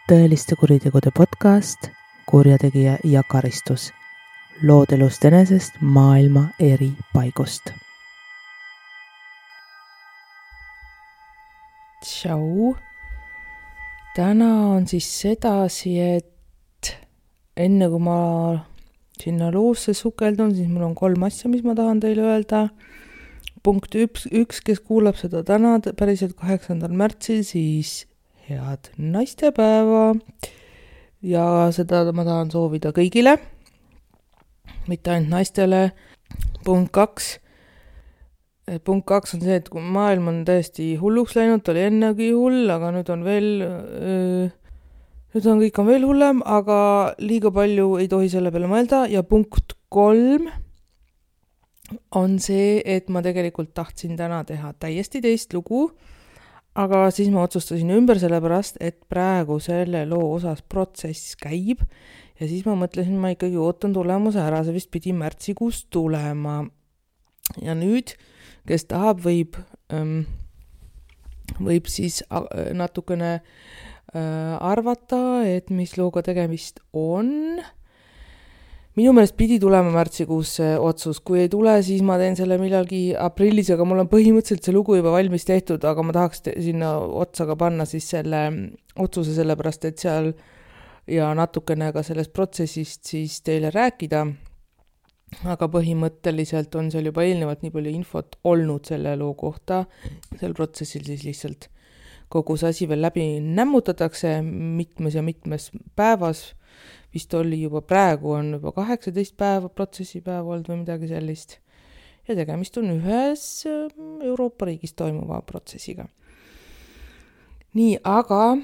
tõeliste kuritegude podcast Kurjategija ja karistus. Lood elust enesest maailma eri paigust. Tšau! Täna on siis sedasi, et enne kui ma sinna loosse sukeldun, siis mul on 3 asja, mis ma tahan teile öelda. Punkt 1, kes kuulab seda täna päriselt 8. märtsil, siis head naistepäeva ja seda ma tahan soovida kõigile, mitte ainult naistele. Punkt 2 on see, et kui maailm on täiesti hulluks läinud, oli ennegi hull, aga nüüd on kõik on veel hullem, aga liiga palju ei tohi selle peale mõelda. Ja punkt 3 on see, et ma tegelikult tahtsin täna teha täiesti teist lugu, aga siis ma otsustasin ümber sellepärast, et praegu selle loo osas protsess käib ja siis ma mõtlesin, ma ikkagi ootan tulemuse ära, see vist pidi märtsikuus tulema. Ja nüüd, kes tahab, võib siis natukene arvata, et mis looga tegemist on. Minu meelest pidi tulema märtsikuus see otsus. Kui ei tule, siis ma teen selle millalgi aprillis, aga mul on põhimõtteliselt see lugu juba valmis tehtud, aga ma tahaks sinna otsaga panna siis selle otsuse sellepärast, et seal ja natukene ka sellest protsessist siis teile rääkida. Aga põhimõtteliselt on seal juba eelnevalt nii palju infot olnud selle loo kohta. Sel protsessil siis lihtsalt kogu see asi veel läbi nämmutatakse mitmes päevas. Vist oli juba praegu on juba 18 päeva protsessipäev olnud või midagi sellist. Ja tegemist on ühes Euroopa riigis toimuva protsessiga. Nii, aga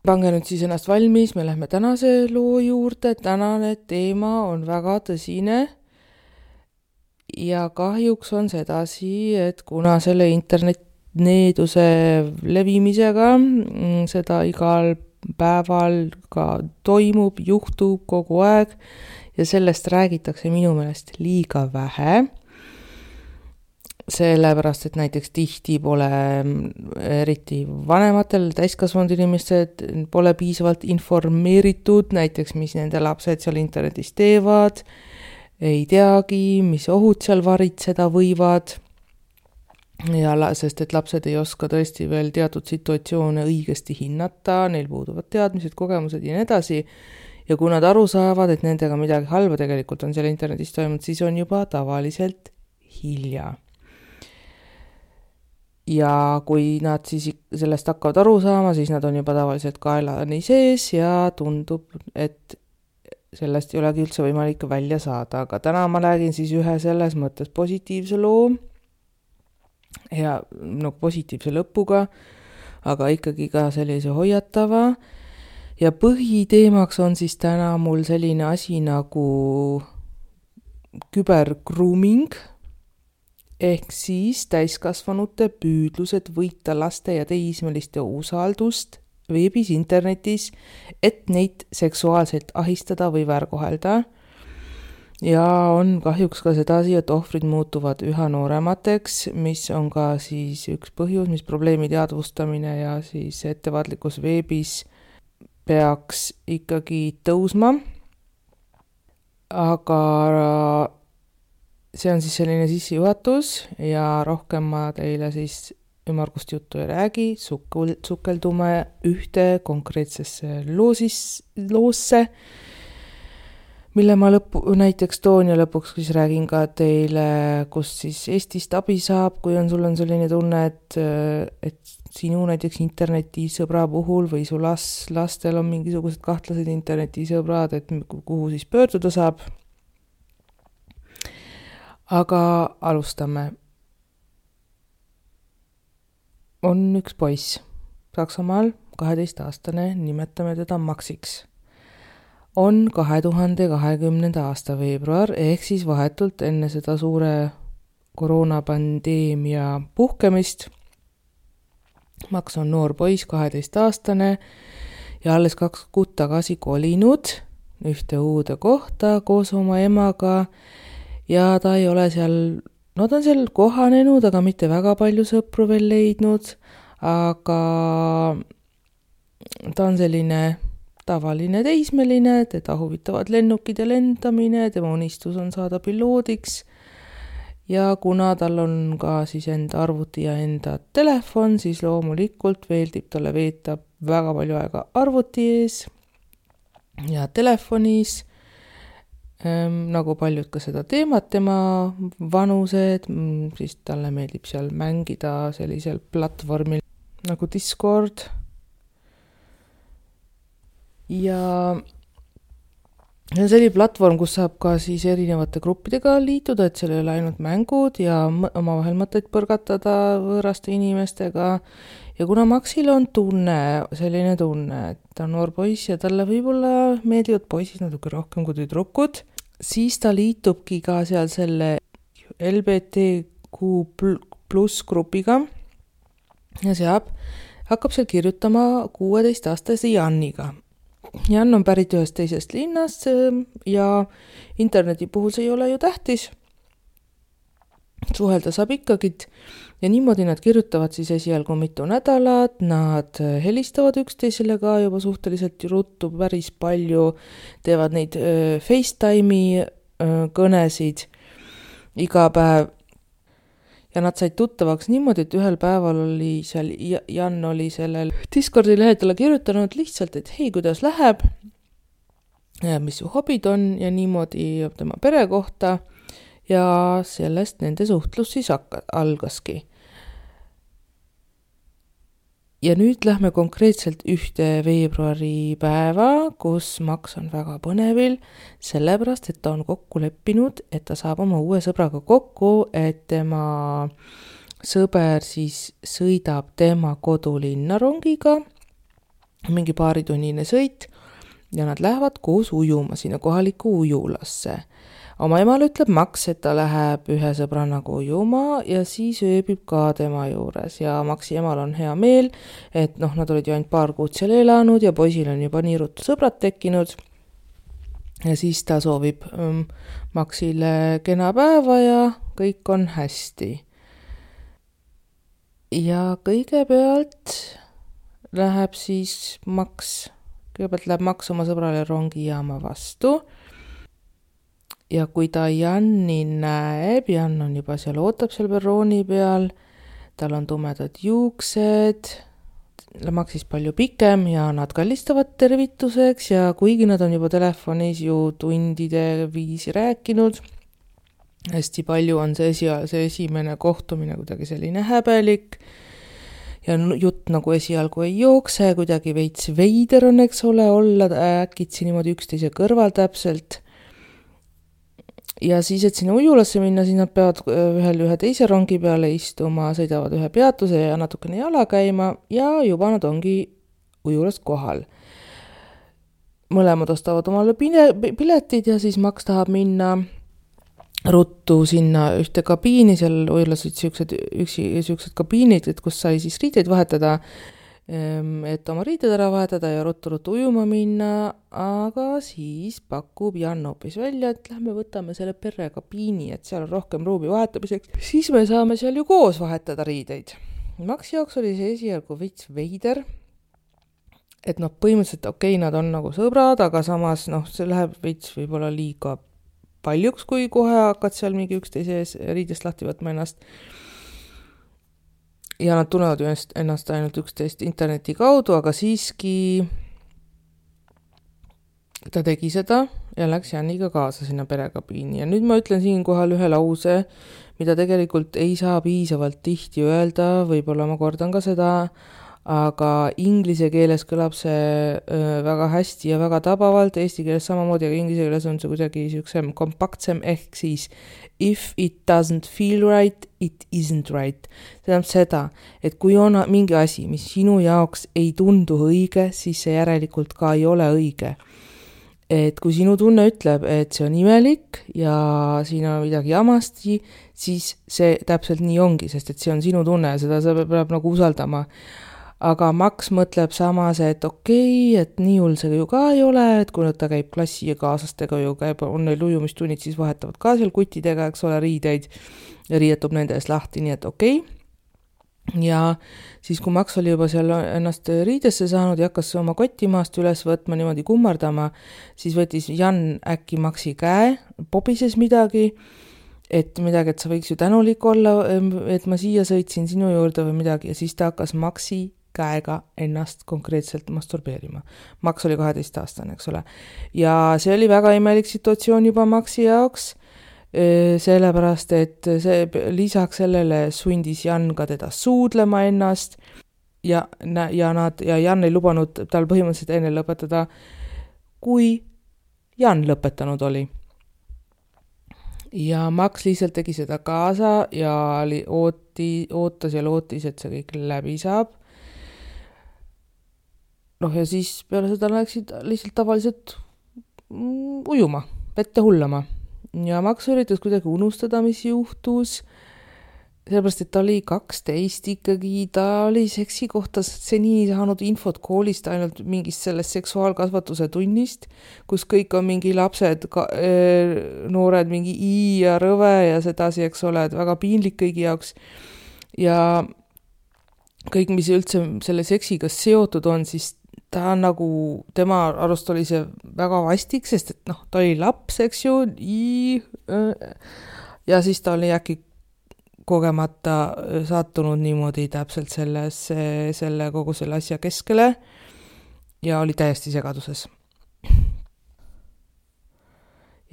pange nüüd siis ennast valmis, me lähme tänase loo juurde. Tänane teema on väga tõsine ja kahjuks on sedasi, et kuna selle internetneeduse levimisega seda igal päeval ka toimub, juhtub kogu aeg ja sellest räägitakse minu meelest liiga vähe. Sellepärast, et näiteks tihti pole eriti vanematel täiskasvanud inimesed pole piisavalt informeeritud, näiteks mis nende lapsed seal internetis teevad, ei teagi, mis ohud seal varitseda võivad. Ja sest et lapsed ei oska tõesti veel teatud situatsioone õigesti hinnata, neil puuduvad teadmised, kogemused ja nii edasi. Ja kui nad aru saavad, et nendega midagi halba tegelikult on seal internetis toimunud, siis on juba tavaliselt hilja. Ja kui nad siis sellest hakkavad aru saama, siis nad on juba tavaliselt kaelani sees ja tundub, et sellest ei olegi üldse võimalik välja saada. Aga täna ma räägin siis ühe selles mõttes positiivse loo, ja positiivse lõpuga, aga ikkagi ka sellise hoiatava. Ja põhiteemaks on siis täna mul selline asi nagu kübergrooming, ehk siis täiskasvanute püüdlused võita laste ja teismeliste usaldust veebis, internetis, et neid seksuaalselt ahistada või väärkohelda. Ja on kahjuks ka sedasi, et ohvrid muutuvad üha nooremateks, mis on ka siis üks põhjus, mis probleemi teadvustamine ja siis ettevaatlikkus veebis peaks ikkagi tõusma. Aga see on siis selline sissejuhatus ja rohkem ma teile siis ümmargust juttu ei räägi, sukeldume ühte konkreetsesse loosse, mille ma näiteks toon ja lõpuks siis räägin ka teile, kus siis Eestist abi saab, kui sul on selline tunne, et sinu näiteks internetisõbra puhul või su lastel on mingisugused kahtlased internetisõbrad, et kuhu siis pöörduda saab. Aga alustame. On üks poiss Saksamaal, 12-aastane, nimetame teda Maxiks. On 2020. aasta veebruar, ehk siis vahetult enne seda suure koroonapandeemia puhkemist. Max on noor poiss, 12-aastane ja alles 2 kuud tagasi kolinud ühte uude kohta koos oma emaga ja ta ei ole seal, ta on seal kohanenud, aga mitte väga palju sõpru veel leidnud, aga ta on selline tavaline teismeline, teda huvitavad lennukid ja lendamine, tema unistus on saada piloodiks ja kuna tal on ka siis enda arvuti ja enda telefon, siis loomulikult meeldib talle veeta väga palju aega arvuti ees ja telefonis, nagu paljud ka seda teevad tema vanused, siis talle meeldib seal mängida sellisel platvormil nagu Discord. Ja see on selline platvorm, kus saab ka siis erinevate gruppidega liituda, et seal ei ole ainult mängud ja omavahel mõtteid põrgatada võõraste inimestega. Ja kuna Maxil on selline tunne, et ta on noor poiss ja talle võib-olla meeldivad poisid natuke rohkem kui tüdrukud, siis ta liitubki ka seal selle LGBTQ+ grupiga ja hakkab seal kirjutama 16-aastase Janniga. Jan on pärit ühest teisest linnast ja interneti puhul see ei ole ju tähtis. Suhelda saab ikkagi ja niimoodi nad kirjutavad siis esialgu mitu nädalat, nad helistavad üksteisele ka juba suhteliselt ruttu päris palju, teevad neid FaceTime'i kõnesid iga päev. Ja nad said tuttavaks niimoodi, et ühel päeval oli seal, Jan oli sellel Discordi lehel talle kirjutanud lihtsalt, et hei, kuidas läheb, mis su hobid on ja niimoodi tema pere kohta ja sellest nende suhtlus siis algaski. Ja nüüd lähme konkreetselt 1. veebruari päeva, kus Max on väga põnevil, sellepärast, et ta on kokku leppinud, et ta saab oma uue sõbraga kokku, et tema sõber siis sõidab tema kodulinna rongiga, mingi paaritunnine sõit, ja nad lähevad koos ujuma sinna kohalikku ujulasse. Oma emal ütleb Max, et ta läheb ühe sõbranaga ujuma ja siis ööbib ka tema juures ja Maxi emal on hea meel, et nad olid ju ainult paar kuud seal elanud ja poisil on juba nii ruttu sõbrad tekkinud ja siis ta soovib Maxile kena päeva ja kõik on hästi. Ja kõigepealt läheb Max oma sõbrale rongijaama vastu. Ja kui ta Janni näeb, Jan on juba seal, ootab seal perrooni peal, tal on tumedad juuksed, Maxis palju pikem ja nad kallistavad tervituseks ja kuigi nad on juba telefonis ju tundide viisi rääkinud, hästi palju on see esimene kohtumine kuidagi selline häbelik ja jutt nagu esialgu ei jookse, kuidagi veits veider on, eks ole, olla äkitsi niimoodi üksteise kõrval täpselt. Ja siis, et sinna ujulasse minna, siis nad peavad ühe teise rongi peale istuma, sõidavad ühe peatuse ja natukene jala käima ja juba nad ongi ujulas kohal. Mõlemad ostavad omale piletid ja siis Max tahab minna ruttu sinna ühte kabiini, seal ujulas siuksed kabiinid, et kus sai siis riideid vahetada, et oma riided ära vahetada ja ruttu ujuma minna, aga siis pakub Jan hoopis välja, et lähme võtame selle perrekabiini, et seal on rohkem ruumi vahetamiseks, siis me saame seal ju koos vahetada riideid. Maxi jaoks oli see esialgu veits veider, et põhimõtteliselt okei, nad on nagu sõbrad, aga samas see läheb veits võib-olla liiga paljuks, kui kohe hakkad seal mingi üksteise ees riidest lahti võtma ennast. Ja nad tunnevad ju ennast ainult üksteist interneti kaudu, aga siiski ta tegi seda ja läks Janniga kaasa sinna perekabiini. Ja nüüd ma ütlen siinkohal ühe lause, mida tegelikult ei saa piisavalt tihti öelda, võib-olla ma kordan ka seda, aga inglise keeles kõlab see väga hästi ja väga tabavalt, eesti keeles samamoodi, aga inglise keeles on see kuidagi siuksem kompaktsem ehk siis if it doesn't feel right, it isn't right. See tähendab seda, et kui on mingi asi, mis sinu jaoks ei tundu õige, siis see järelikult ka ei ole õige. Et kui sinu tunne ütleb, et see on imelik ja siin on midagi jamasti, siis see täpselt nii ongi, sest et see on sinu tunne ja seda sa peab nagu usaldama. Aga Max mõtleb samas, et okei, et nii hull see ju ka ei ole, et kui ta käib klassi ja kaaslastega ju käib, on neil ujumistunnid, siis vahetavad ka seal kuttidega, eks ole, riideid ja riietub nende ees lahti, nii et okei. ja siis, kui Max oli juba seal ennast riidesse saanud ja hakkas oma kotti maast üles võtma, niimoodi kummardama, siis võttis Jan äkki Maxi käe, pobises midagi, et sa võiks ju tänulik olla, et ma siia sõitsin sinu juurde või midagi, ja siis ta hakkas Maxi käega ennast konkreetselt masturbeerima. Max oli 12-aastane, eks ole. Ja see oli väga imelik situatsioon juba Maxi jaoks, sellepärast, et see lisaks sellele sundis Jan ka teda suudlema ennast ja Jan ei lubanud tal põhimõtteliselt enne lõpetada, kui Jan lõpetanud oli. Ja Max lihtsalt tegi seda kaasa ja ootas ja lootis, et see kõik läbi saab. Ja siis peale seda läksid lihtsalt tavaliselt ujuma, vette hullama. Ja Max üritas kuidagi unustada, mis juhtus, sellepärast, et ta oli 12 ikkagi, ta oli seksi kohta seni saanud infot koolist ainult mingist sellest seksuaalkasvatuse tunnist, kus kõik on mingi lapsed, noored, mingi I ja rõve ja sedasi, eks ole, et väga piinlik kõigi jaoks. Ja kõik, mis üldse selle seksiga seotud on, siis ta nagu, tema arust oli see väga vastik, sest et ta oli laps, eks ju, ja siis ta oli äkki kogemata sattunud niimoodi täpselt kogu selle asja keskele ja oli täiesti segaduses.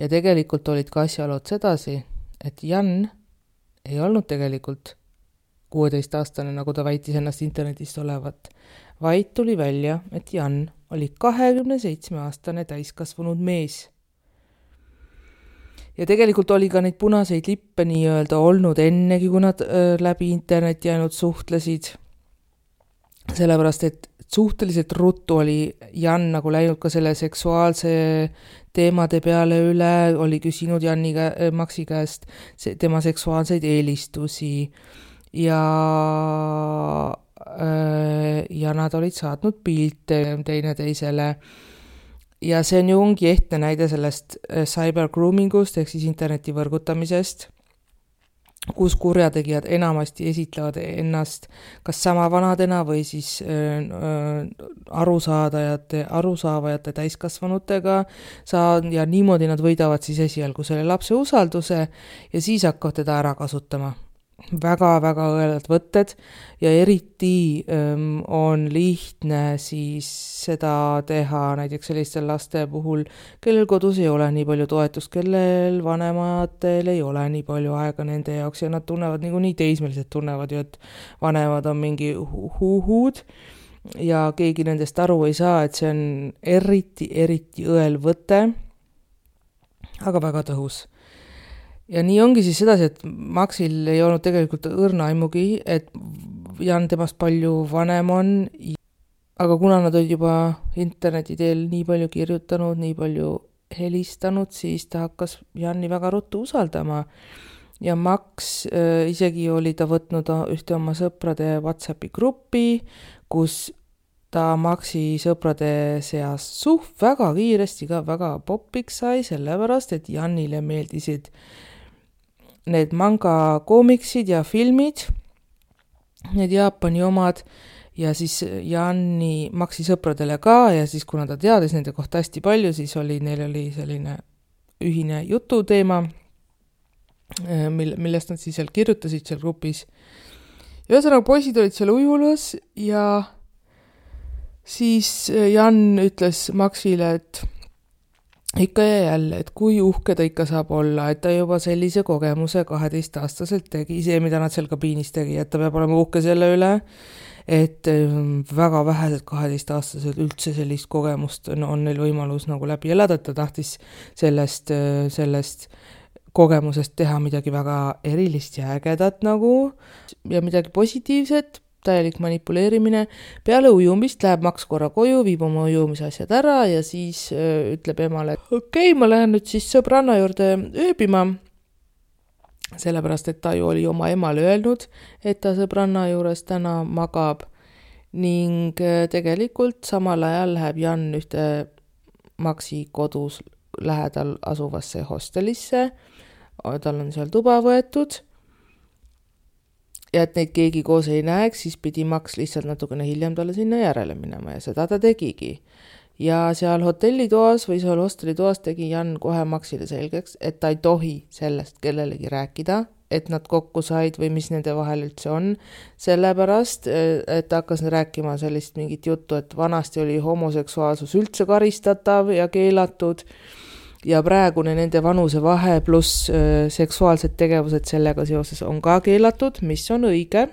Ja tegelikult olid ka asjalood sedasi, et Jan ei olnud tegelikult 16-aastane, nagu ta väitis ennast internetist olevat, vaid tuli välja, et Jan oli 27-aastane täiskasvanud mees. Ja tegelikult oli ka neid punaseid lippe nii-öelda olnud ennegi, kui nad läbi interneti ainult suhtlesid. Sellepärast, et suhteliselt ruttu oli Jan nagu läinud ka selle seksuaalse teemade peale üle, oli küsinud Maxi käest tema seksuaalseid eelistusi ja nad olid saatnud pilte teineteisele. Ja see on ju ongi ehtne näide sellest cybergroomingust ehk siis interneti võrgutamisest, kus kurjategijad enamasti esitlevad ennast kas sama vanadena või siis arusaavajate täiskasvanutega ja niimoodi nad võidavad siis esialgu selle lapse usalduse ja siis hakkavad teda ära kasutama. Väga-väga õelad võtted ja eriti on lihtne siis seda teha näiteks sellistel laste puhul, kellel kodus ei ole nii palju toetust, kellel vanematel ei ole nii palju aega nende jaoks ja nad tunnevad niikuinii, teismelised tunnevad ju, et vanemad on mingi huhud ja keegi nendest aru ei saa, et see on eriti õel võte, aga väga tõhus. Ja nii ongi siis sedasi, et Maxil ei olnud tegelikult õrna aimugi, et Jan temast palju vanem on, aga kuna nad olid juba interneti teel nii palju kirjutanud, nii palju helistanud, siis ta hakkas Janni väga ruttu usaldama. Ja Max isegi oli ta võtnud ühte oma sõprade WhatsAppi gruppi, kus ta Maxi sõprade seas väga kiiresti ka väga popiks sai, sellepärast, et Jannile meeldisid need manga koomiksid ja filmid, need Jaapani omad ja siis Janni Maxi sõpradele ka ja siis kuna ta teadis nende kohta hästi palju, siis neil oli selline ühine jututeema, millest nad siis seal kirjutasid seal grupis. Ja ühesõnaga poisid olid seal ujulas ja siis Jan ütles Maxile, et ikka ja jälle, et kui uhke ta ikka saab olla, et ta juba sellise kogemuse 12-aastaselt tegi, see, mida nad seal kabiinis tegi, et ta peab olema uhke selle üle, et väga vähesed 12-aastased üldse sellist kogemust on neil võimalus nagu läbi elada, et ta tahtis sellest kogemusest teha midagi väga erilist ja ägedat nagu ja midagi positiivset, täielik manipuleerimine. Peale ujumist läheb Max korra koju, viib oma ujumisasjad ära ja siis ütleb emale, et okei, ma lähen nüüd siis sõbranna juurde ööbima, sellepärast, et ta ju oli oma emale öelnud, et ta sõbranna juures täna magab ning tegelikult samal ajal läheb Jan ühte Maxi kodus lähedal asuvasse hostelisse, tal on seal tuba võetud ja et neid keegi koos ei näeks, siis pidi Max lihtsalt natukene hiljem talle sinna järele minema ja seda ta tegigi. Ja seal hotellitoas või seal hostelitoas tegi Jan kohe Maxile selgeks, et ta ei tohi sellest kellelegi rääkida, et nad kokku said või mis nende vahel üldse on, sellepärast, et ta hakkas rääkima sellist mingit juttu, et vanasti oli homoseksuaalsus üldse karistatav ja keelatud ja praegune nende vanuse vahe pluss seksuaalsed tegevused sellega seoses on ka keelatud, mis on õige.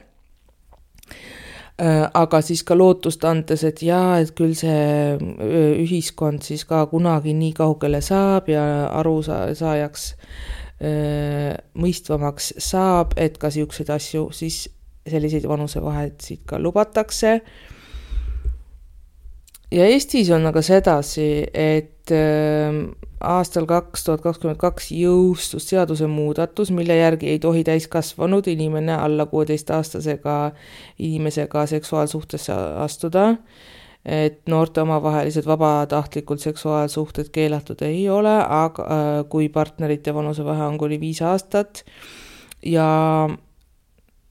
Aga siis ka lootust andes, et jaa, et küll see ühiskond siis ka kunagi nii kaugele saab ja arusaajaks mõistvamaks saab, et ka siukseid asju, siis selliseid vanusevahesid ka lubatakse. Ja Eestis on aga sedasi, et aastal 2022 jõustus seaduse muudatus, mille järgi ei tohi täiskasvanud inimene alla 16-aastasega inimesega seksuaalsuhtesse astuda, et noorte omavahelised vabatahtlikult seksuaalsuhted keelatud ei ole, aga kui partnerite vanusevahe on kuni 5 aastat ja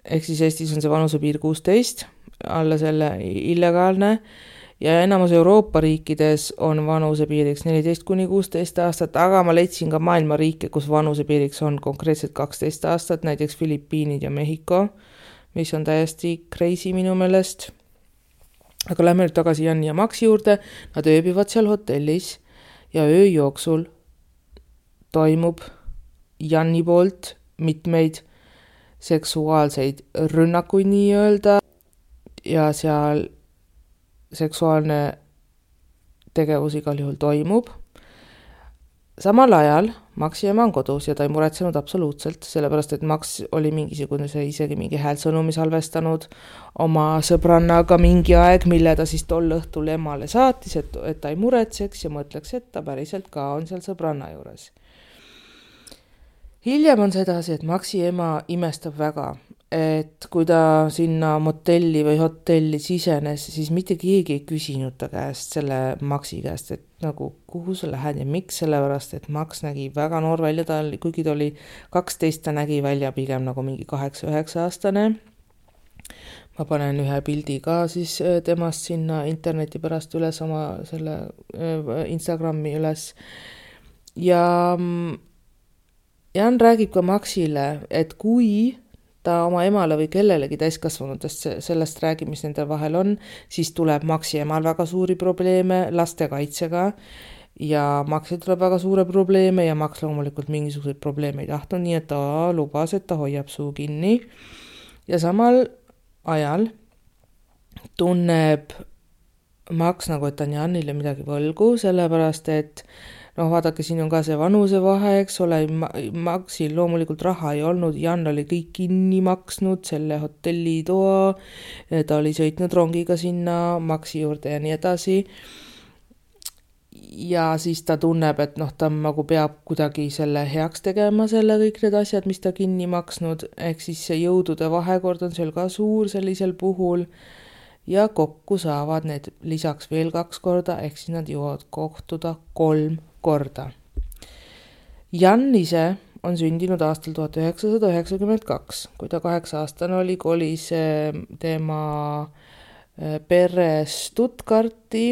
ehk siis Eestis on see vanusepiir 16, alla selle illegaalne ja enamus Euroopa riikides on vanusepiiriks 14 kuni 16 aastat, aga ma leidsin ka maailma riike, kus vanusepiiriks on konkreetselt 12 aastat, näiteks Filipiinid ja Mehhiko, mis on täiesti crazy minu meelest. Aga lähme nüüd tagasi Janni ja Maxi juurde, nad ööbivad seal hotellis ja öö jooksul toimub Janni poolt mitmeid seksuaalseid rünnakuid nii-öelda ja seal seksuaalne tegevus igal juhul toimub. Samal ajal Maxi ema on kodus ja ta ei muretsenud absoluutselt, sellepärast et Max oli mingisugune isegi mingi häälsõnumi salvestanud oma sõbrannaga mingi aeg, mille ta siis tol õhtul emale saatis, et ta ei muretseks ja mõtleks, et ta päriselt ka on seal sõbranna juures. Hiljem on sedasi, et Maxi ema imestab väga, et kui ta sinna motelli või hotelli sisenes, siis mitte keegi ei küsinud ta käest, selle Maxi käest, et nagu kuhu sa lähed ja miks, sellepärast, et Max nägi väga noor välja, kuigi ta oli 12, ta nägi välja pigem nagu mingi 8-9 aastane. Ma panen ühe pildi ka siis temast sinna interneti pärast üles oma selle Instagrami üles ja Jan räägib ka Maxile, et kui ta oma emale või kellelegi täiskasvanutest sellest räägib, mis nende vahel on, siis tuleb Maxi emal väga suuri probleeme lastekaitsega ja Maxil tuleb väga suure probleeme ja Max loomulikult mingisuguseid probleeme ei tahtnud, nii et ta lubas, et ta hoiab suu kinni. Ja samal ajal tunneb Max nagu, et ta on Janile midagi võlgu, sellepärast et vaadake, siin on ka see vanusevahe, eks ole, Maxil loomulikult raha ei olnud, Jan oli kõik kinni maksnud, selle hotellitoa, ta oli sõitnud rongiga sinna Maxi juurde ja nii edasi. Ja siis ta tunneb, et ta nagu peab kuidagi selle heaks tegema, selle kõik need asjad, mis ta kinni maksnud, ehk siis see jõudude vahekord on seal ka suur sellisel puhul ja kokku saavad need lisaks veel 2 korda, ehk siis nad jõuavad kohtuda 3 korda. Jan ise on sündinud aastal 1992. Kui ta 8-aastane oli, kolis tema pere Stuttgarti.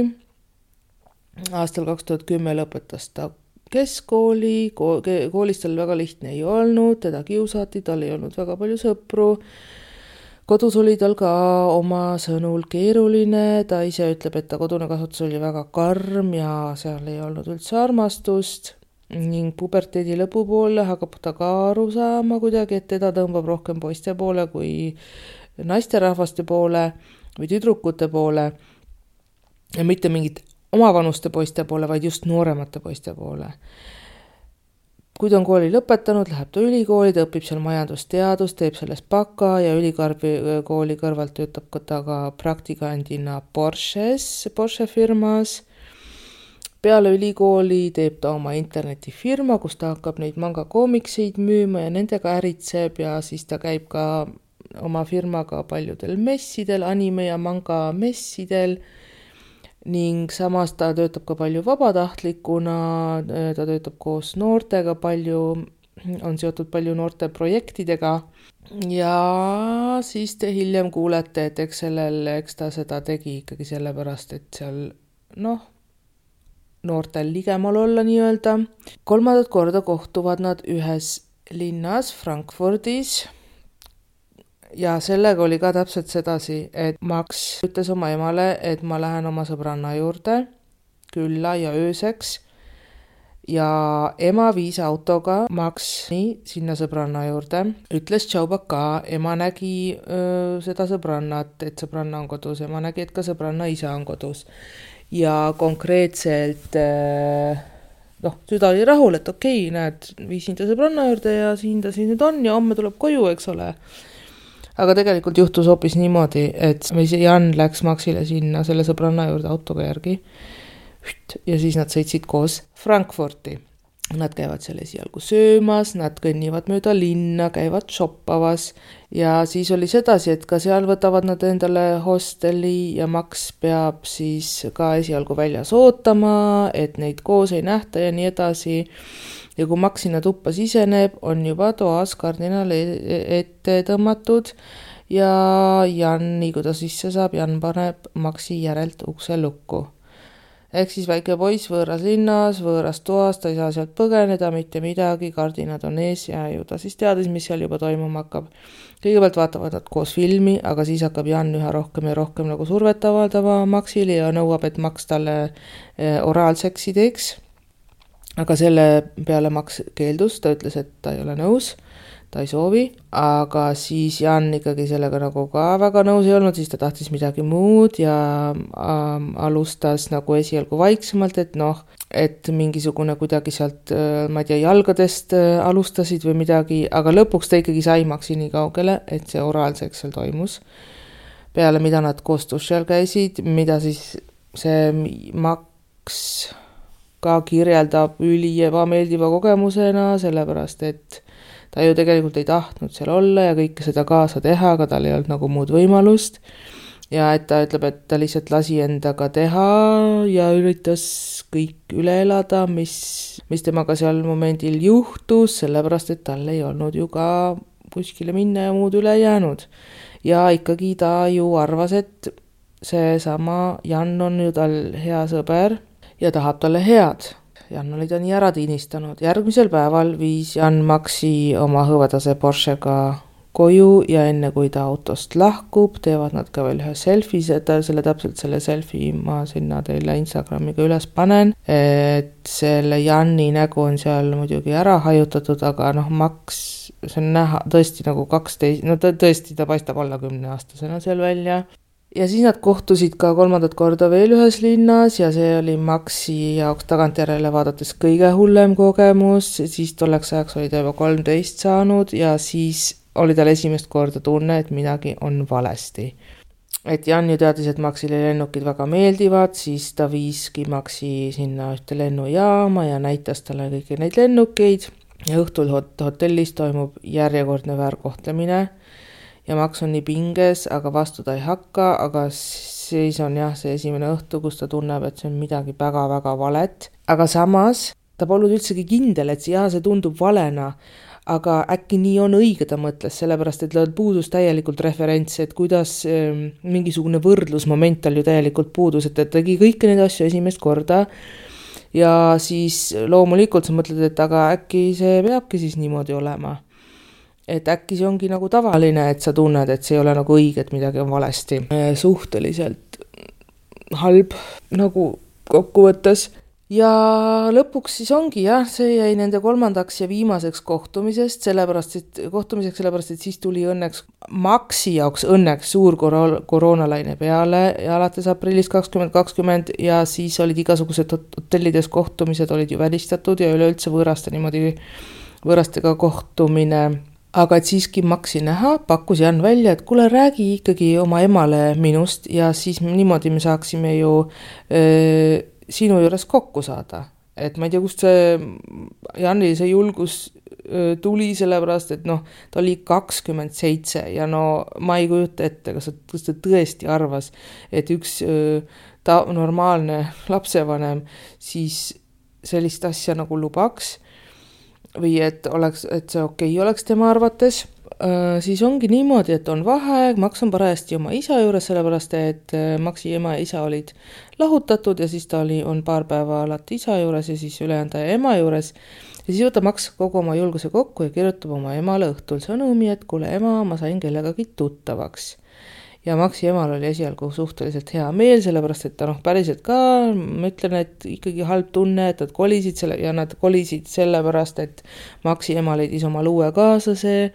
Aastal 2010 lõpetas ta keskkooli, koolis tal väga lihtne ei olnud, teda kiusati, tal ei olnud väga palju sõpru. Kodus oli tal ka oma sõnul keeruline, ta ise ütleb, et ta kodune kasvatus oli väga karm ja seal ei olnud üldse armastust ning puberteedi lõpupoole hakkab ta ka aru saama kuidagi, et teda tõmbab rohkem poiste poole kui naisterahvaste poole või tüdrukute poole ja mitte mingit omavanuste poiste poole, vaid just nooremate poiste poole. Kui ta on kooli lõpetanud, läheb ta ülikooli, ta õpib seal majandusteadust, teeb sellest baka ja ülikooli kõrvalt töötab ta ka praktikandina Porsche firmas. Peale ülikooli teeb ta oma internetifirma, kus ta hakkab neid manga koomikseid müüma ja nendega äritseb ja siis ta käib ka oma firmaga paljudel messidel, anime ja manga messidel. Ning samas ta töötab ka palju vabatahtlikuna, ta töötab koos noortega palju, on seotud palju noorte projektidega ja siis te hiljem kuulete, et eks ta seda tegi ikkagi sellepärast, et seal noortel ligemal olla nii-öelda. 3. korda kohtuvad nad ühes linnas Frankfurdis ja sellega oli ka täpselt sedasi, et Max ütles oma emale, et ma lähen oma sõbranna juurde külla ja ööseks ja ema viis autoga Maxi sinna sõbranna juurde, ütles tšaubaka, ema nägi seda sõbrannat, et sõbranna on kodus, ema nägi, et ka sõbranna isa on kodus ja konkreetselt süda oli rahul, et okei, näed, viisin ta sõbranna juurde ja siin ta siis nüüd on ja homme tuleb koju, eks ole. Aga tegelikult juhtus hoopis niimoodi, et Jan läks Maxile sinna selle sõbranna juurde autoga järgi ja siis nad sõitsid koos Frankfurti. Nad käivad seal esialgu söömas, nad kõnnivad mööda linna, käivad shoppamas ja siis oli sedasi, et ka seal võtavad nad endale hosteli ja Max peab siis ka esialgu väljas ootama, et neid koos ei nähta ja nii edasi. Ja kui Max sinna tuppa siseneb, on juba toas kardinal ette tõmmatud ja Jan, nii kui ta sisse saab, Jan paneb Maxi järelt ukse lukku. Ehk siis väike poiss võõras linnas, võõras toas, ta ei saa sealt põgeneda, mitte midagi, kardinad on ees ja ju ta siis teadis, mis seal juba toimuma hakkab. Kõigepealt vaatavad nad koos filmi, aga siis hakkab Jan üha rohkem ja rohkem nagu survet avaldama Maxile ja nõuab, et Max talle oraalseksi teeks. Aga selle peale Max keeldus, ta ütles, et ta ei ole nõus, ta ei soovi, aga siis Jan ikkagi sellega nagu ka väga nõus ei olnud, siis ta tahtis midagi muud ja alustas nagu esialgu vaiksemalt, et mingisugune kuidagi sealt, ma ei tea, jalgadest alustasid või midagi, aga lõpuks ta ikkagi sai Maxi nii kaugele, et see oraalseks seal toimus. Peale mida nad koos duši all käisid, mida siis see Max ka kirjeldab üli ebameeldiva kogemusena, sellepärast et ta ju tegelikult ei tahtnud seal olla ja kõike seda kaasa teha, aga tal ei olnud nagu muud võimalust. Ja et ta ütleb, et ta lihtsalt lasi endaga teha ja üritas kõik üle elada, mis temaga seal momendil juhtus, sellepärast et tal ei olnud ju ka kuskile minna ja muud üle jäänud. Ja ikkagi ta ju arvas, et see sama Jan on ju tal hea sõber ja tahab talle head. Jan oli ta nii ära tiinistanud. Järgmisel päeval viis Jan Maxi oma hõvedase Porschega koju ja enne kui ta autost lahkub, teevad nad ka veel ühe selfie, selle selfie ma sinna teile Instagramiga üles panen, et selle Janni nägu on seal muidugi ära hajutatud, aga Max, see on näha tõesti nagu 12, ta paistab olla 10-aastasena seal välja. Ja siis nad kohtusid ka 3. korda veel ühes linnas ja see oli Maxi jaoks tagantjärele vaadates kõige hullem kogemus, siis tolleks ajaks oli ta juba 13 saanud ja siis oli tal esimest korda tunne, et midagi on valesti. Et Jan ju teadis, et Maxile lennukid väga meeldivad, siis ta viiski Maxi sinna ühte lennujaama ja näitas talle kõiki neid lennukeid ja õhtul hotellis toimub järjekordne väärkohtlemine. Ja Max on nii pinges, aga vastu ta ei hakka, aga siis on see esimene õhtu, kus ta tunneb, et see on midagi väga-väga valet. Aga samas ta polnud üldsegi kindel, et see tundub valena, aga äkki nii on õige, ta mõtles, sellepärast, et puudus täielikult referents, et kuidas mingisugune võrdlusmoment tal ju täielikult puudus, et ta tegi kõiki neid asju esimest korda ja siis loomulikult sa mõtled, et aga äkki see peabki siis niimoodi olema. Et äkki see ongi nagu tavaline, et sa tunned, et see ei ole nagu õige, et midagi on valesti. Suhteliselt halb nagu kokkuvõttes. Ja lõpuks siis ongi see jäi nende 3. ja viimaseks kohtumiseks, sellepärast, et siis tuli Maxi jaoks õnneks suur koroonalaine peale ja alates aprillist 2020 ja siis olid igasugused hotellides kohtumised olid ju välistatud ja üleüldse võõrastega kohtumine. Aga et siiski Maxi näha, pakkus Jan välja, et kuule, räägi ikkagi oma emale minust ja siis niimoodi me saaksime ju sinu juures kokku saada. Et ma ei tea, kust see Janil see julgus tuli, sellepärast, et ta oli 27 ja ma ei kujuta ette, kas ta tõesti arvas, et üks normaalne lapsevanem siis sellist asja nagu lubaks või et see okei oleks tema arvates, siis ongi niimoodi, et on vaheaeg, Max on parajasti oma isa juures, sellepärast et Maxi ema ja isa olid lahutatud ja siis ta on paar päeva alati isa juures ja siis ülejäänud aja ema juures. Ja siis võtab Max kogu oma julguse kokku ja kirjutab oma emale õhtul sõnumi, et kuule ema, ma sain kellegagi tuttavaks. Ja Maxi emal oli esialgu suhteliselt hea meel, sellepärast et ta päriselt ka, ma ütlen, et ikkagi halb tunne, et nad kolisid sellepärast, et Maxi ema leidis oma luue kaaslase,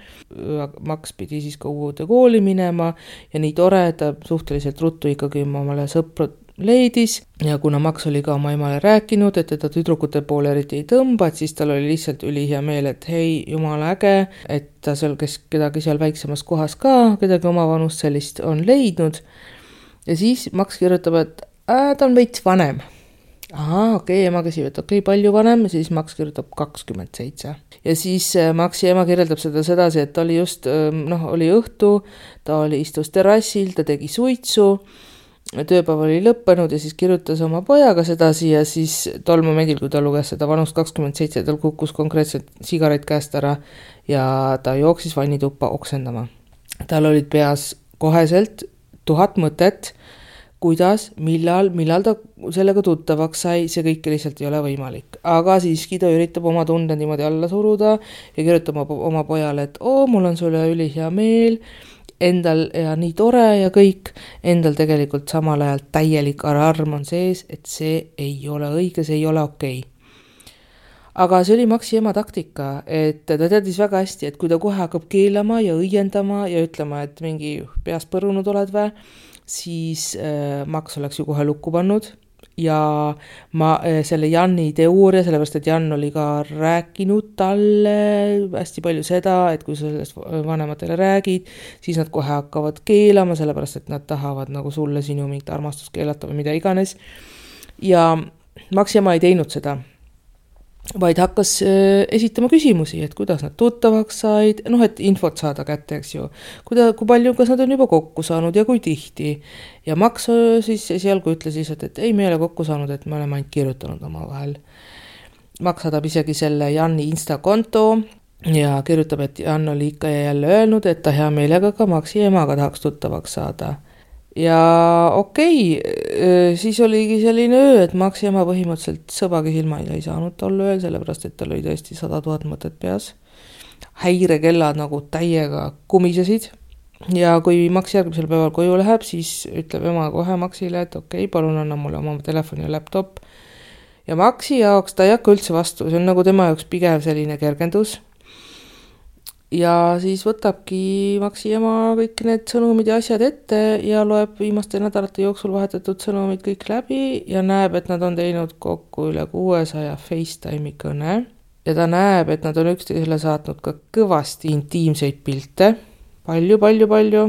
Max pidi siis ka uude kooli minema ja nii tore, et ta suhteliselt ruttu ikkagi omale sõpru leidis ja kuna Max oli ka oma emale rääkinud, et teda tüdrukute poole eriti ei tõmba, et siis tal oli lihtsalt ülihea meel, et hei, jumala äge, et ta seal, kes kedagi seal väiksemas kohas ka, kedagi oma vanust sellist on leidnud. Ja siis Max kirjutab, et ta on veits vanem. Okei, ema küsib, et okei, palju vanem, ja siis Max kirjutab 27. Ja siis Maxi ema kirjeldab seda sedasi, et ta oli just, oli õhtu, ta istus terrassil, ta tegi suitsu, tööpäev oli lõppenud ja siis kirjutas oma pojaga sedasi ja siis tol momendil, kui ta luges seda vanust 27, tal kukkus konkreetselt sigaret käest ära ja ta jooksis vannituppa oksendama. Tal olid peas koheselt 1000 mõtet, kuidas, millal ta sellega tuttavaks sai, see kõik lihtsalt ei ole võimalik. Aga siiski ta üritab oma tunde niimoodi alla suruda ja kirjutab oma pojale, et mul on sulle ülihea meel, endal ja nii tore ja kõik, endal tegelikult samal ajal täielik alarm on sees, et see ei ole õige, see ei ole okei. Aga see oli Maxi ema taktika, et ta teadis väga hästi, et kui ta kohe hakkab keelama ja õiendama ja ütlema, et mingi peas põrunud oled või, siis Max oleks ju kohe lukku pannud. Ja selle Janni teooria, sellepärast et Jan oli ka rääkinud talle hästi palju seda, et kui sa sellest vanematele räägid, siis nad kohe hakkavad keelama, sellepärast et nad tahavad nagu sulle sinu mingit armastust keelata või mida iganes. Ja Maxi ema ei teinud seda, vaid hakkas esitama küsimusi, et kuidas nad tuttavaks said, et infot saada kätte, eks ju. Kui palju, kas nad on juba kokku saanud ja kui tihti. Ja Max siis esialgu ütles lihtsalt, et ei, me ei ole kokku saanud, et me oleme ainult kirjutanud oma vahel. Max saadab isegi selle Janni Insta-konto ja kirjutab, et Jan oli ikka ja jälle öelnud, et ta hea meelega ka Maxi emaga tahaks tuttavaks saada. Ja okei, siis oligi selline öö, et Maxi ema põhimõtteliselt sõbagi silma ei saanud tol ööl, sellepärast et tal oli tõesti 100 000 mõtet peas. Häirekellad nagu täiega kumisesid ja kui Max järgmisel päeval koju läheb, siis ütleb ema kohe Maxile, et okei, palun anna mulle oma telefoni ja laptop. Ja Maxi jaoks ta ei hakka üldse vastu, see on nagu tema jaoks pigem selline kergendus. Ja siis võtabki Maxi ema kõik need sõnumid ja asjad ette ja loeb viimaste nädalate jooksul vahetatud sõnumid kõik läbi ja näeb, et nad on teinud kokku üle 600 FaceTime'i kõne. Ja ta näeb, et nad on üksteisele saatnud ka kõvasti intiimseid pilte. Palju.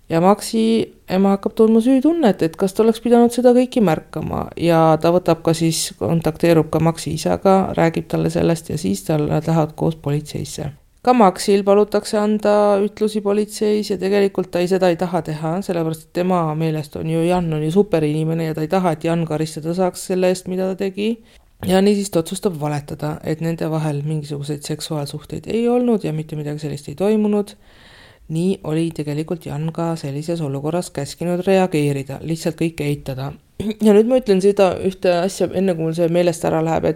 Ja Maxi ema hakkab tundma süütunnet, et kas ta oleks pidanud seda kõiki märkama ja ta võtab ka siis, kontakteerub ka Maxi isaga, räägib talle sellest ja siis nad lähevad koos politseisse. Ka Maxil palutakse anda ütlusi politseis ja tegelikult ta seda ei taha teha, sellepärast et tema meelest on ju Jan on ju superinimene ja ta ei taha, et Jan karistada saaks selle eest, mida ta tegi. Ja nii siis ta otsustab valetada, et nende vahel mingisuguseid seksuaalsuhteid ei olnud ja mitte midagi sellist ei toimunud. Nii oli tegelikult Jan ka sellises olukorras käskinud reageerida, lihtsalt kõik eitada. Ja nüüd ma ütlen seda ühte asja, enne kui mul see meelest ära läheb,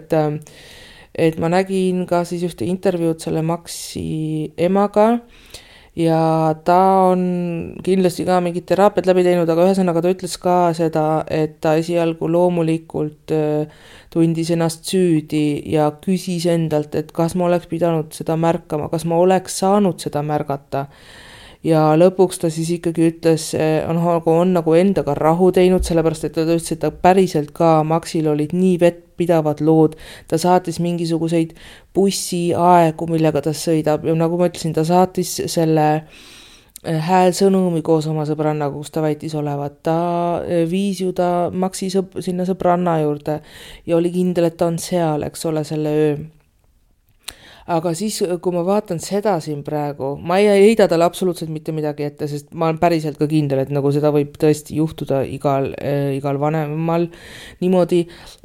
et ma nägin ka siis ühte intervjuud selle Maxi emaga ja ta on kindlasti ka mingid teraapiad läbi teinud, aga ühesõnaga ta ütles ka seda, et ta esialgu loomulikult tundis ennast süüdi ja küsis endalt, et kas ma oleks pidanud seda märkama, kas ma oleks saanud seda märgata. Ja lõpuks ta siis ikkagi ütles, on nagu endaga rahu teinud, sellepärast et ta ütles, et ta päriselt ka Maxil olid nii vettpidavad lood. Ta saatis mingisuguseid bussiaegu, millega ta sõidab ja nagu ma ütlesin, ta saatis selle häälsõnumi koos oma sõbrannaga, kus ta väitis olevat. Ta viis ju ta Maxi sinna sõbranna juurde ja oli kindel, et ta on seal, eks ole, selle öö. Aga siis, kui ma vaatan seda siin praegu, ma ei heida talle absoluutselt mitte midagi ette, sest ma olen päriselt ka kindel, et nagu seda võib tõesti juhtuda igal vanemal niimoodi,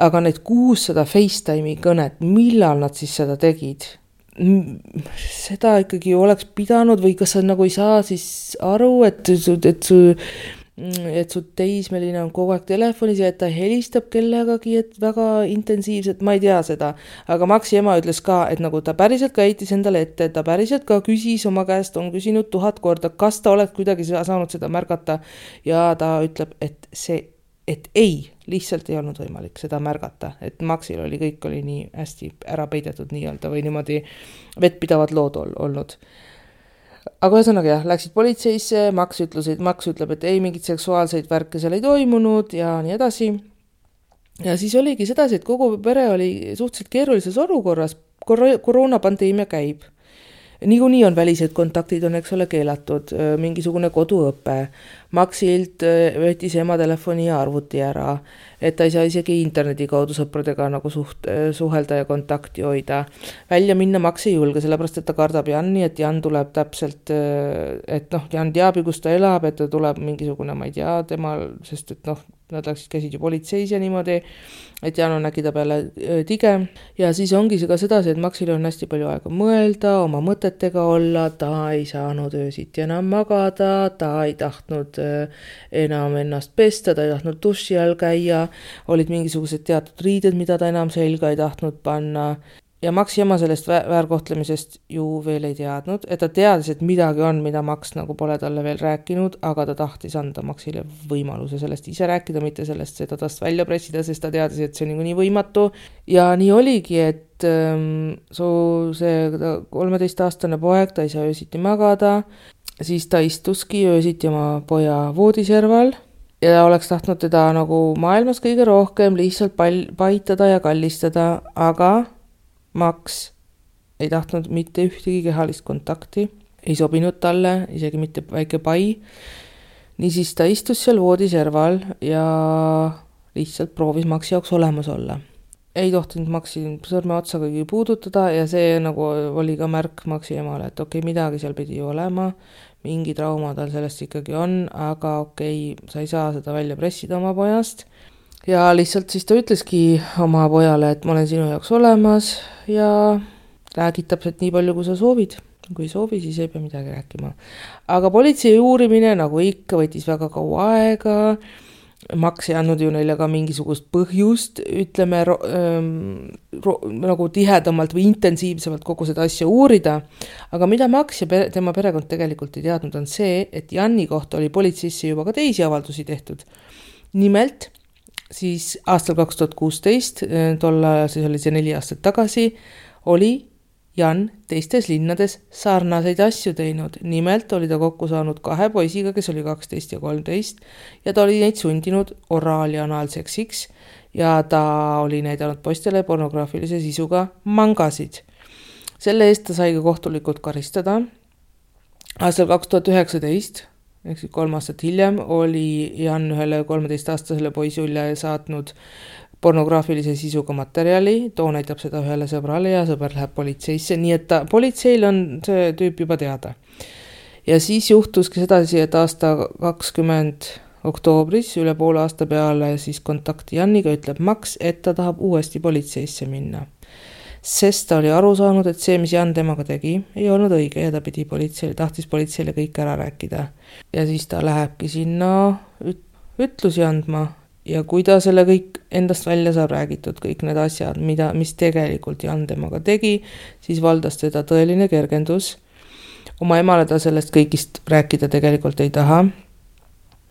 aga need 600 FaceTime'i kõnet, millal nad siis seda tegid? seda ikkagi oleks pidanud või kas sa nagu ei saa siis aru, et su teismeline on kogu aeg telefonis ja et ta helistab kellegagi, et väga intensiivselt, ma ei tea seda. Aga Maxi ema ütles ka, et nagu ta päriselt ka heitis endale ette, ta päriselt ka küsis oma käest, on küsinud 1000 korda, kas ta oleks kuidagi saanud seda märgata ja ta ütleb, et ei, lihtsalt ei olnud võimalik seda märgata, et Maxil kõik oli nii hästi ära peidetud nii-öelda või niimoodi vettpidavad lood olnud. Aga ühesõnaga jah, läksid politseisse, Max ütleb, et ei, mingit seksuaalseid värke seal ei toimunud ja nii edasi. Ja siis oligi sedasi, et kogu pere oli suhteliselt keerulises olukorras, koroonapandeemia käib. Niikuinii on välised kontaktid on, eks ole, keelatud, mingisugune koduõpe. Maxilt võttis ema telefoni ja arvuti ära, et ta ei saa isegi interneti kaudu sõpradega nagu suhelda ja kontakti hoida. Välja minna Max ei julge, sellepärast, et ta kardab Janni, et Jan tuleb täpselt, et Jan teab, kus ta elab, et ta tuleb mingisugune, ma ei tea, temal, sest et nad käisid ju politseis ja niimoodi, et Jan on äkki ta peale tige. Ja siis ongi see ka sedasi, et Maxil on hästi palju aega mõelda, oma mõtetega olla, ta ei saanud öösiti enam magada, ta ei tahtnud enam ennast pesta, ta ei tahtnud duši all käia, olid mingisugused teatud riided, mida ta enam selga ei tahtnud panna. Ja Maxi ema sellest väärkohtlemisest ju veel ei teadnud, et ta teadis, et midagi on, mida Max nagu pole talle veel rääkinud, aga ta tahtis anda Maxile võimaluse sellest ise rääkida, mitte sellest seda tast välja pressida, sest ta teadis, et see on nii võimatu. Ja nii oligi, et see 13-aastane poeg, ta ei saa öösiti magada, siis ta istuski öösiti oma poja voodiserval ja oleks tahtnud teda nagu maailmas kõige rohkem lihtsalt paitada ja kallistada, aga Max ei tahtnud mitte ühtegi kehalist kontakti, ei sobinud talle, isegi mitte väike pai. Niisiis ta istus seal voodiserval ja lihtsalt proovis Maxi jaoks olemas olla. Ei tohtinud Maxi sõrme otsa kõigi puudutada ja see nagu oli ka märk Maxi emale, et okei, midagi seal pidi olema, mingi trauma tal sellest ikkagi on, aga okei, sa ei saa seda välja pressida oma pojast. Ja lihtsalt siis ta ütleski oma pojale, et ma olen sinu jaoks olemas ja räägid täpselt nii palju, kui sa soovid. Kui ei soovi, siis ei pea midagi rääkima. Aga politsei uurimine, nagu ikka, võttis väga kaua aega. Max ei andnud ju neile ka mingisugust põhjust, ütleme, nagu tihedamalt või intensiivsemalt kogu seda asja uurida. Aga mida Max ja tema perekond tegelikult ei teadnud, on see, et Janni kohta oli politseisse juba ka teisi avaldusi tehtud. Nimelt, siis aastal 2016, tolla siis oli see 4 aastat tagasi, oli Jan teistes linnades sarnaseid asju teinud. Nimelt oli ta kokku saanud 2 poisiga, kes oli 12 ja 13 ja ta oli neid sundinud oraal- ja anaalseksiks ja ta oli näidanud poistele pornograafilise sisuga mangasid. Selle eest ta sai ka kohtulikult karistada. Aastal 2019 ehk 3 aastat hiljem oli Jan ühele 13-aastasele poisule saatnud pornograafilise sisuga materjali, too näitab seda ühele sõbrale ja sõber läheb politseisse, nii et politseil on see tüüp juba teada. Ja siis juhtuski sedasi, et aasta 20 oktoobris, üle poole aasta peale siis kontakti Janniga, ütleb Max, et ta tahab uuesti politseisse minna. Sest ta oli aru saanud, et see, mis Jan temaga tegi, ei olnud õige ja ta tahtis politseile kõik ära rääkida. Ja siis ta lähebki sinna ütlusi andma ja kui ta selle kõik endast välja saab räägitud, kõik need asjad, mis tegelikult Jan temaga tegi, siis valdas teda tõeline kergendus. Oma emale ta sellest kõigist rääkida tegelikult ei taha.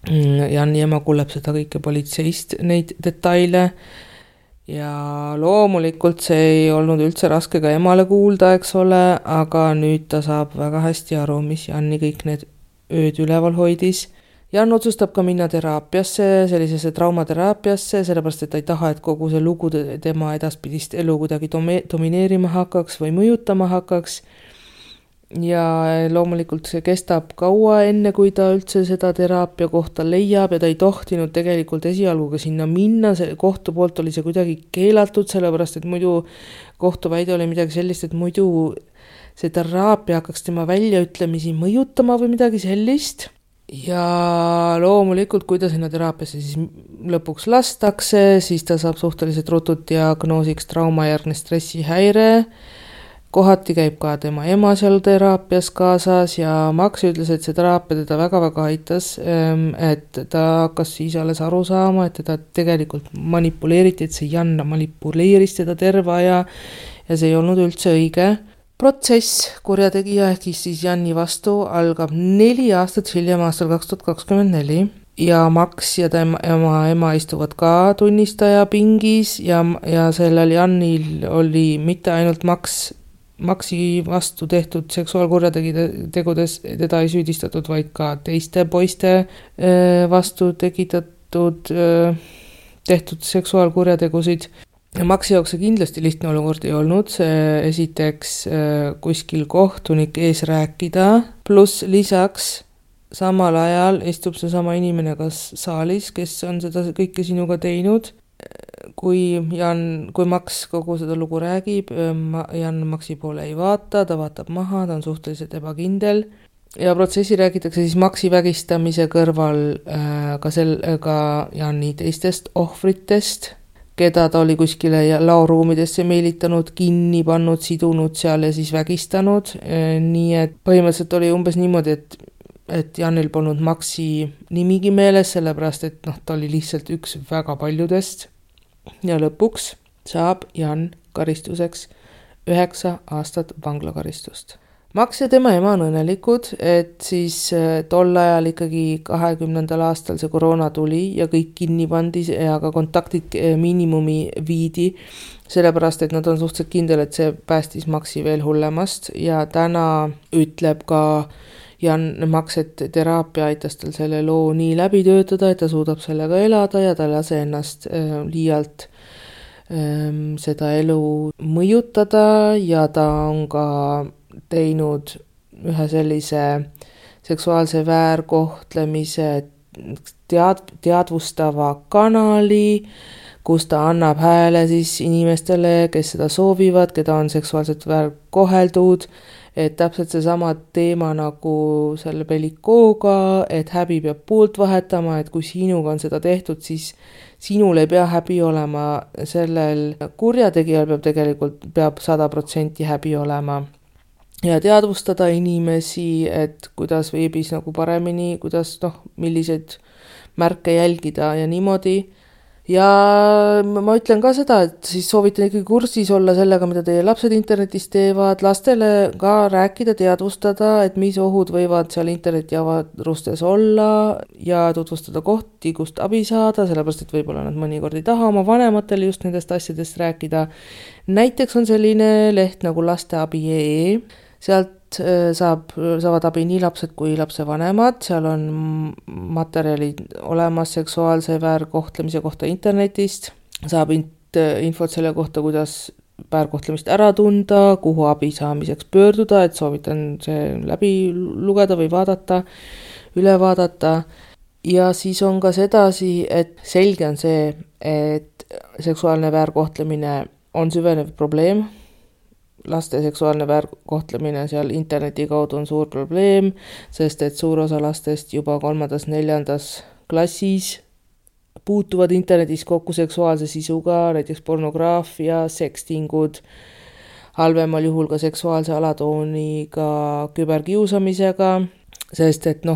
Janni ema kuuleb seda kõike politseist, neid detaile. Ja loomulikult see ei olnud üldse raske ka emale kuulda, eks ole, aga nüüd ta saab väga hästi aru, mis Janni kõik need ööd üleval hoidis. Jan otsustab ka minna teraapiasse, sellisesse traumateraapiasse, sellepärast, et ta ei taha, et kogu see lugu tema edaspidist elu kuidagi domineerima hakkaks või mõjutama hakkaks. Ja loomulikult see kestab kaua enne, kui ta üldse seda teraapia kohta leiab ja ta ei tohtinud tegelikult esialgu ka sinna minna, see kohtu poolt oli see kuidagi keelatud, sellepärast, et muidu kohtuväide oli midagi sellist, et muidu see teraapia hakkaks tema väljaütlemisi mõjutama või midagi sellist. Ja loomulikult, kui ta sinna teraapiasse siis lõpuks lastakse, siis ta saab suhteliselt rutut diagnoosiks traumajärgne stressihäire kohati käib ka tema ema seal teraapias kaasas ja Max ütles, et see teraapia teda väga-väga aitas, et ta hakkas siis alles aru saama, et teda tegelikult manipuleeriti, et see Jan manipuleeris teda terve aja ja see ei olnud üldse õige. Protsess kurjategija ehk siis Janni vastu algab 4 aastat hiljem aastal 2024 ja Max ja tema ema istuvad ka tunnistaja pingis ja sellel Jannil oli mitte ainult Maxi vastu tehtud seksuaalkurjategudes, teda ei süüdistatud, vaid ka teiste poiste vastu tehtud seksuaalkurjategusid. Maxi jaoks see kindlasti lihtne olukord ei olnud, esiteks kuskil kohtunik ees rääkida, pluss lisaks samal ajal istub see sama inimene kas saalis, kes on seda kõike sinuga teinud. Kui Max kogu seda lugu räägib, Jan Maxi poole ei vaata, ta vaatab maha, ta on suhteliselt ebakindel ja protsessi räägitakse siis Maxi vägistamise kõrval ka Janni teistest ohvritest, keda ta oli kuskile laoruumidesse meelitanud, kinni pannud, sidunud seal ja siis vägistanud. Nii et põhimõtteliselt oli umbes niimoodi, et Janil polnud Maxi nimigi meeles, sellepärast et ta oli lihtsalt üks väga paljudest. Ja lõpuks saab Jan karistuseks 9 aastat vanglakaristust. Max ja tema ema on õnnelikud, et siis tol ajal ikkagi 20. aastal see koroona tuli ja kõik kinni pandi ja ka kontaktid miinimumi viidi, sellepärast et nad on suhteliselt kindel, et see päästis Maxi veel hullemast ja täna ütleb ka Max, et teraapia aitas tal selle loo nii läbi töötada, et ta suudab sellega elada ja ta ei lase ennast liialt seda elu mõjutada ja ta on ka teinud ühe sellise seksuaalse väärkohtlemise teadvustava kanali, kus ta annab hääle siis inimestele, kes seda soovivad, keda on seksuaalselt väärkoheldud, et täpselt seesama teema nagu selle Bellikooga, et häbi peab poolt vahetama, et kui sinuga on seda tehtud, siis sinul ei pea häbi olema, sellel kurjategijal peab 100% häbi olema. Ja teadvustada inimesi, et kuidas veebis nagu paremini, kuidas milliseid märke jälgida ja niimoodi. Ja ma ütlen ka seda, et siis soovitan ikkagi kursis olla sellega, mida teie lapsed internetis teevad, lastele ka rääkida, teadvustada, et mis ohud võivad seal internetiavarustes olla ja tutvustada kohti, kust abi saada, sellepärast, et võib-olla nad mõnikord ei taha oma vanematele just nendest asjadest rääkida. Näiteks on selline leht nagu lasteabi.ee, sealt saavad abi nii lapsed kui lapsevanemad, seal on materjalid olemas seksuaalse väärkohtlemise kohta internetist, saab infot selle kohta, kuidas väärkohtlemist ära tunda, kuhu abi saamiseks pöörduda, et soovitan see läbi lugeda või vaadata, üle vaadata. Ja siis on ka sedasi, et selge on see, et seksuaalne väärkohtlemine on süvenev probleem. Laste seksuaalne väärkohtlemine seal interneti kaudu on suur probleem, sest et suur osa lastest juba 3.–4. klassis puutuvad internetis kokku seksuaalse sisuga, näiteks pornograafia, sekstingud, halvemal juhul ka seksuaalse alatooniga küberkiusamisega, sest et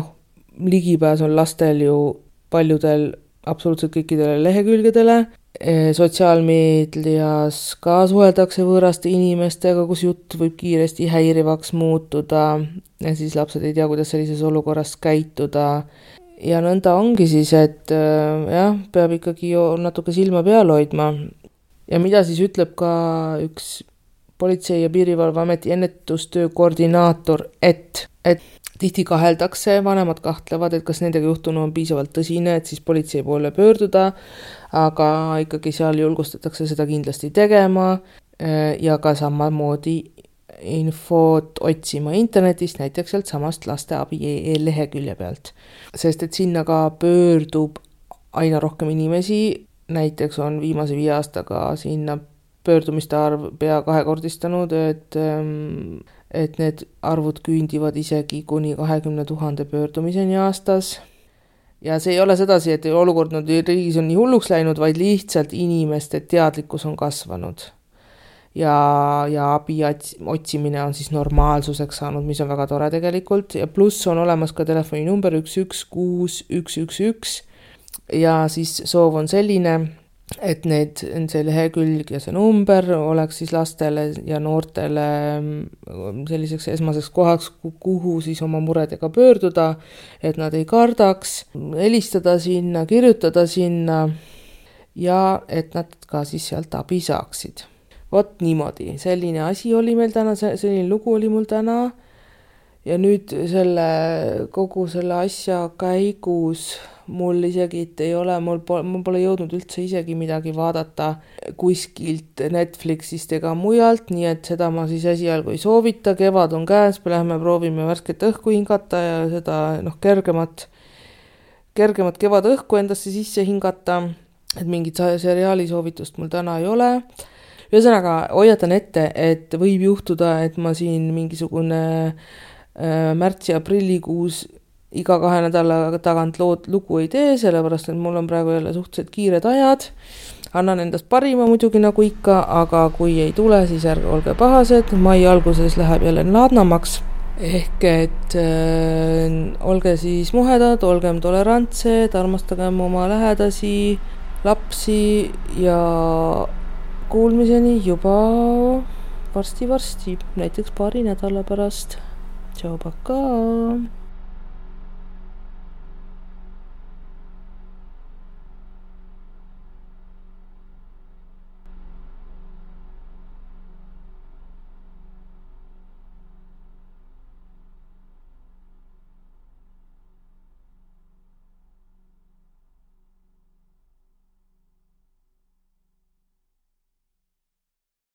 ligipääs on lastel ju paljudel absoluutselt kõikidele lehekülgedele. Sotsiaalmeedias ka suheldakse võõraste inimestega, kus jutt võib kiiresti häirivaks muutuda ja siis lapsed ei tea, kuidas sellises olukorras käituda. Ja nõnda ongi siis, et peab ikkagi natuke silma peal hoidma. Ja mida siis ütleb ka üks Politsei- ja Piirivalveameti ennetustöö koordinaator, et tihti kaheldakse, vanemad kahtlevad, et kas nendega juhtunu on piisavalt tõsine, et siis politsei poole pöörduda, aga ikkagi seal julgustatakse seda kindlasti tegema ja ka samamoodi infot otsima internetist, näiteks sealt samast lasteabi.ee lehekülje pealt. Sest et sinna ka pöördub aina rohkem inimesi, näiteks on viimase 5 aastaga sinna pöördumiste arv pea 2-kordistanud, et need arvud küündivad isegi kuni 20 000 pöördumiseni aastas. Ja see ei ole sedasi, et olukord riigis on nii hulluks läinud, vaid lihtsalt inimeste teadlikkus on kasvanud. ja abi otsimine on siis normaalsuseks saanud, mis on väga tore tegelikult ja pluss on olemas ka telefoninumber 116111 ja siis soov on selline, et see lehekülg ja see number oleks siis lastele ja noortele selliseks esmaseks kohaks, kuhu siis oma muredega pöörduda, et nad ei kardaks, helistada sinna, kirjutada sinna ja et nad ka siis sealt abi saaksid. Vot niimoodi, selline asi oli meil täna, selline lugu oli mul täna ja nüüd kogu selle asja käigus mul isegi ei ole, mul pole jõudnud üldse isegi midagi vaadata kuskilt Netflixist ega mujalt, nii et seda ma siis esialgu ei soovita, kevad on käes, me lähme proovime värsket õhku hingata ja seda kergemat kevadõhku endasse sisse hingata, et mingit seriaali soovitust mul täna ei ole. Ühesõnaga, hoiatan ette, et võib juhtuda, et ma siin mingisugune märtsi-aprillikuus iga 2 nädala tagant lugu ei tee, sellepärast, et mul on praegu jälle suhteliselt kiired ajad. Annan endast parima muidugi nagu ikka, aga kui ei tule, siis ärge olge pahased. Mai alguses läheb jälle laadnamaks. Ehk et olge siis muhedad, olgem tolerantsed, armastagem oma lähedasi, lapsi ja kuulmiseni juba varsti, näiteks 2 nädala pärast. Tšau, pakaa!